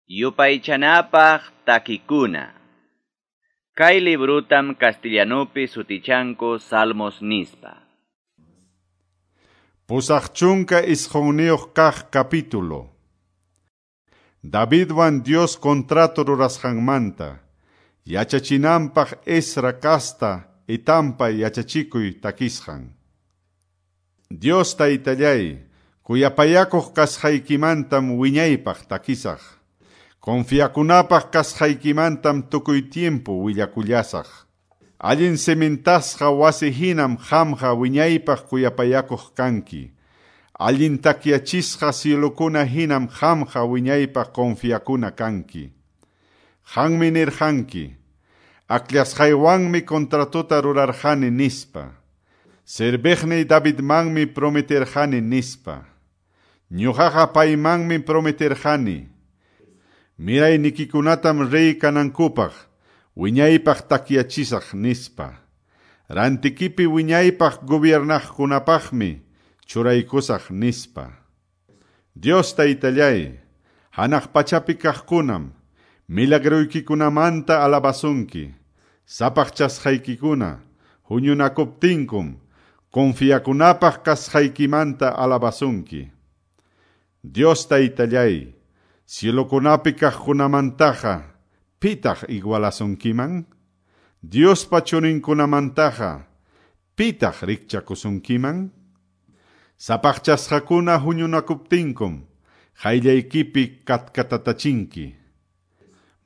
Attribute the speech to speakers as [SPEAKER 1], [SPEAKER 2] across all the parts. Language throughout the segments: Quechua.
[SPEAKER 1] Yupaychanapaq takikuna. Kay librutam castellanupi sutichanku Salmos nispa.
[SPEAKER 2] 89 kaq capítulo. Davidwan Dios contrato rurasqanmanta, yachachinanpaq Ezra kasta Etanpa yachachikuy takisqan. Dios taytallay, kuyapayakuq kasqaykimantam wiñaypaq takisaq. Confiakunapaq kasqaykimantam tukuy tiempo willakullasaq. Allin cementasqa wasi hinam qamqa wiñaypaq kuyapayakuq kanki. Allin takyachisqa cielokuna hinam qamqa wiñaypaq confiakuna kanki. Qanmi nirqanki, akllashqaywanmi contratota rurarqani nispa. Serviqniy Davidmanmi prometerqani nispa. Ñuqaqa paymanmi prometerqani. Miraynikikunatam rey kanankupaq, wiñaypaq takyachisaq nispa. Rantikipi wiñaypaq gobiernaqkunapaqmi churaykusaq nispa. Dios taytallay, hanaq pachapi kaqkunam, milagruykikunamanta alabasunki, sapaqchasqaykikuna, huñunakuptinkum, confiakunapaq kasqaykimanta alabasunki. Dios taytallay, cielokunapi kaqkunamantaqa, pitaq igualasunkiman? Diospa churinkunamantaqa, pitaq rikchakusunkiman? Sapaqchasqakuna huñunakuptinkum, qayllaykipi katkatatachinki.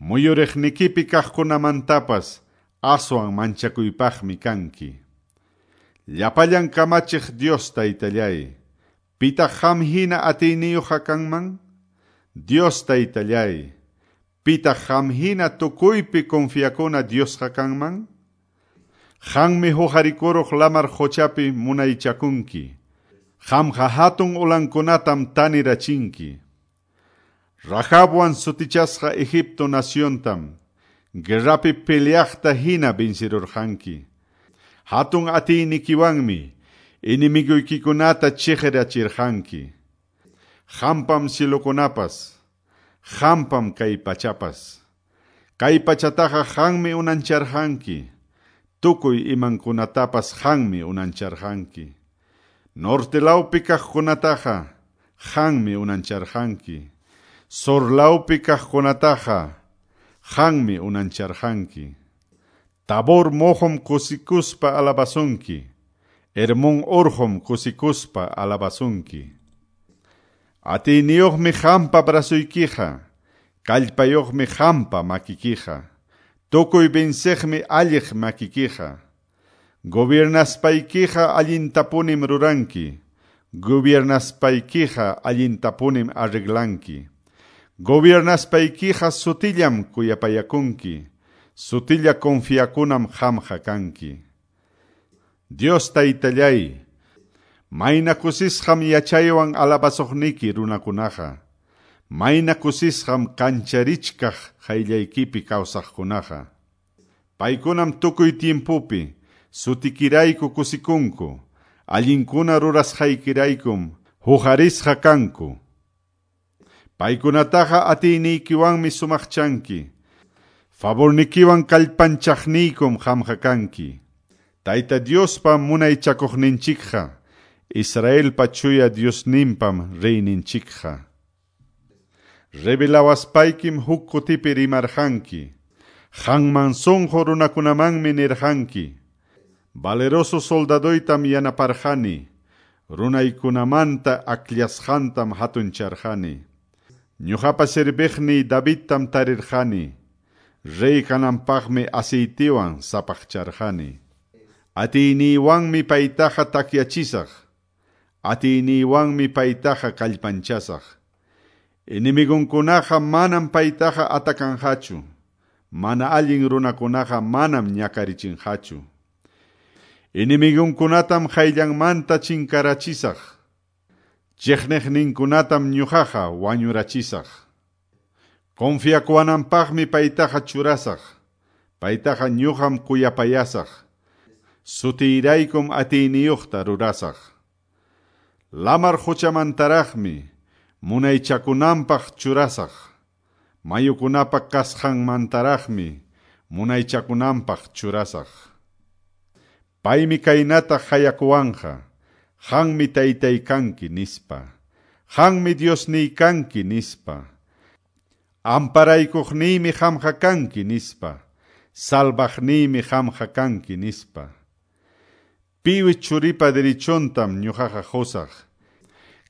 [SPEAKER 2] Muyuriqnikipi kaqkunamantapas aswan manchakuypaqmi kanki. Llapallan kamachiq Dios taytallay, pitaq qam hina atiyniyuqqa kanman? Dios taytallay, pitaq qam hina tukuypi confiakuna Diosqa kanman? Qanmi huqarikuruq lamar quchapi munaychakunki. Qamqa hatun ulankunatam tanirachinki. Rahabwan sutichasqa Egipto naciontam, guerrapi peleaqta hina vencirurqanki. Hatun atiynikiwanmi enemiguykikunata chiqirachirqanki. Qampam cielokunapas, qampam kay pachapas. Kay pachataqa qanmi unancharqanki, tukuy imankunatapas qanmi unancharqanki. Norte lawpi kaqkunataqa qanmi unancharqanki. Sur lawpi kaqkunataqa qanmi unancharqanki. Tabor moqom kusikuspa alabasunki. Hermón urqum kusikuspa alabasunki. Atiyniyuqmi qampa brazuykiqa, kallpayuqmi qampa makikiqa, tukuy venceqmi alliq makikiqa. Gobiernasppaykiqa allintapunim ruranki, gobiernasppaykiqa allintapunim arreglanki. Gobiernasppaykiqa sutillam kuyapayakunki, sutilla confiakunam qamqa kanki. Dios taytallay, mayna kusisqam yachaywan alabasuqniki runakunaqa, mayna kusisqam kancharichkaq qayllaykipi kawsaqkunaqa. Paykunam tukuy tiempopi sutikirayku kusikunku, allinkuna rurasqaykiraykum huqarisqa kanku. Paykunataqa atiyniykiwanmi sumaqchanki, favornikiwan kallpanchaqniykum qamqa kanki. Tayta Diospa munaychakuqninchikqa, Israelpa chuya Diosninpam reyninchikqa. Rebelawaspaykim huk kutipi rimarqanki, qanman sunqu runakunamanmi nirqanki. Valeroso soldadoytam yanaparqani, runaykunamanta akllashqantam hatuncharqani. Ñuqapa serviqniy Davidtam tarirqani, rey kananpaqmi aceitiwan sapaqcharqani. Atiyniywanmi paytaqa takyachisaq, atiyniywanmi paytaqa kallpanchasaq. Enemigunkunaqa manam paytaqa atakanqachu, mana allin runakunaqa manam ñakarichinqachu. Enemigunkunatam qayllanmanta chinkarachisaq, chiqniqninkunatam ñuqaqa wañurachisaq. Confiakuwananpaqmi paytaqa churasaq, paytaqa ñuqam kuyapayasaq, sutiyraykum atiyniyuqta rurasaq. Lamar quchamantaraqmi munaychakunanpaq churasaq, Mayukunapa kasqanmantaraqmi munaychakunanpaq churasaq. Paymi kaynata hayakuwanqa, qanmi taytay kanki nispa, qanmi Diosniy kanki nispa, amparaykuqniymi qamqa kanki nispa, salvaqniymi qamqa kanki nispa. Piwi churipa derechontam ñuqaqa qusaq,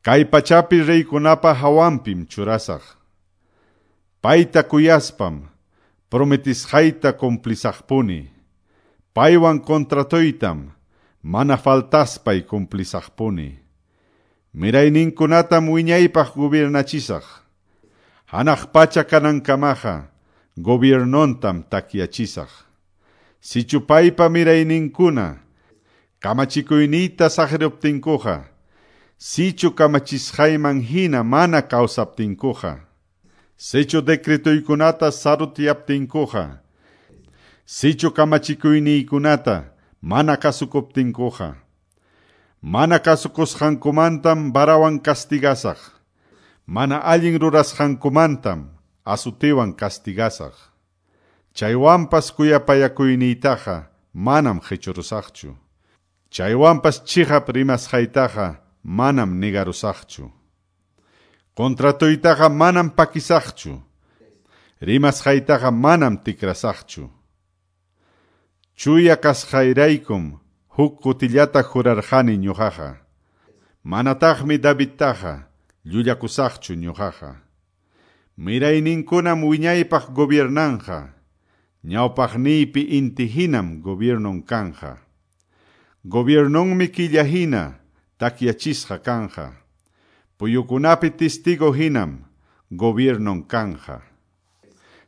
[SPEAKER 2] kay pachapi reykunapa hawanpim churasaq. Payta kuyaspam prometisqayta cumplisaqpuni. Paywan contratoytam mana faltaspay cumplisaqpuni. Mirayninkunatam wiñaypaq gobernachisaq. Hanaq pacha kanankamaqa gobiernontam takyachisaq. Sichu paypa mirayninkuna kamachikuyniyta saqiruptinkuqa, sichu kamachisqayman hina mana kawsaptinkuqa, sichu decretoykunata sarutyaptinkuqa, sichu kamachikuyniykunata mana kasukuptinkuqa, mana kasukusqankumantam varawan castigasaq, mana allin rurasqankumantam azutiwan castigasaq. Chaywanpas kuyapayakuyniytaqa manam qichurusaqchu. Chaywanpas chiqap rimasqaytaqa manam negarusaqchu. Contratoytaqa manam pakisaqchu. Rimasqaytaqa manam tikrasaqchu. Chuya kasqayraykum huk kutillata jurarqani ñuqaqa. Manataqmi Davidtaqa llullakusaqchu ñuqaqa. Mirayninkunam wiñaypaq gobiernanqa. Ñawpaqniypi inti hinam gobiernon kanja. Gobiernonmi killa hina takyachisqa kanja. Puyukunapi testigo hinam gobiernon kanja.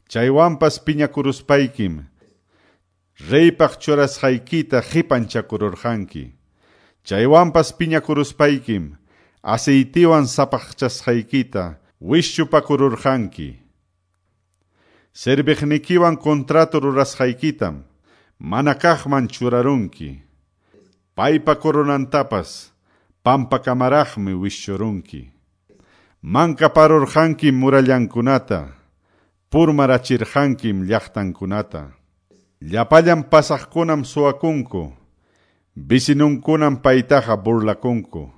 [SPEAKER 2] Chaywanpas piñakuruspaykim reypaq churasqaykita qipanchakururqanki. Chaywanpas piñakuruspaykim aceitiwan sapaqchasqaykita wischupakururqanki. Serviqnikiwan contrato rurasqaykitam mana kaqman churarunki. Paypa coronantapas pampakamaraqmi wischurunki. Mankaparurqankim murallankunata, purmarachirqankim llaqtankunata. Llapallan pasaqkunam suwakunku, vecinunkunam paytaqa burlakunku.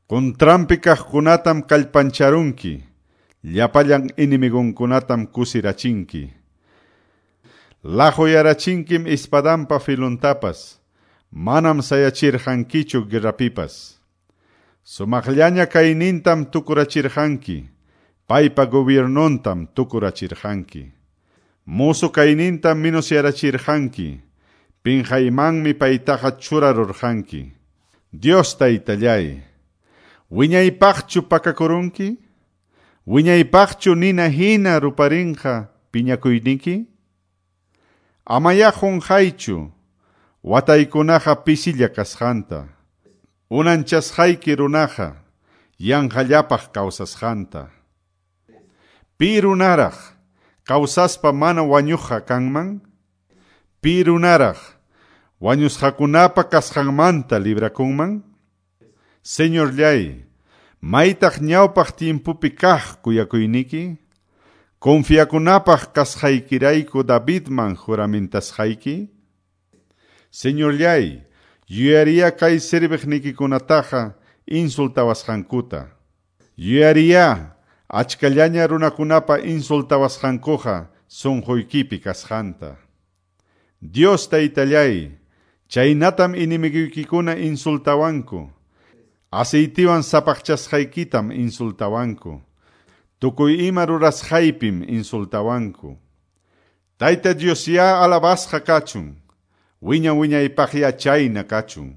[SPEAKER 2] Contranpi kaqkunatam kallpancharunki, llapallan enemigonkunatam kusirachinki. Laquyarachinkim espadanpa filuntapas, manam sayachirqankichu guerrapipas. Sumaqllaña kaynintam tukurachirqanki, paypa gobiernontam tukurachirqanki. Musu kaynintam minusyarachirqanki, pinqaymanmi paytaqa churarurqanki. Dios taytallay, wiñaypaqchu pakakurunki? Wiñaypaqchu nina hina ruparinqa piñakuyniki? Amaya qunqaychu wataykunaqa pisilla kasqanta, unanchasqayki runaqa yanqallapaq kawsasqanta. Pi runaraq kawsaspa mana wañuqqa kanman? Pi runaraq wañusqakunapa kasqanmanta librakunman? Señorllay, maytaq ñawpaq tiempopi kaq kuyakuyniki? Confiakunapaq kasqaykirayku Davidman juramentasqayki? Señorllay, yuyariya kay serviqnikikunataqa insultawasqankuta. Yuyariya achkallaña runakunapa insultawasqankuqa sunquykipi kasqanta. Dios taytallay, chaynatam enemigoykikuna insultawanku. Aceitiwan sapaqchasqaykitam insultawanku. Tukuy ima rurasqaypim insultawanku. Tayta Dios ya alabasqa kachun. Wiña wiñaypaqya chayna kachun.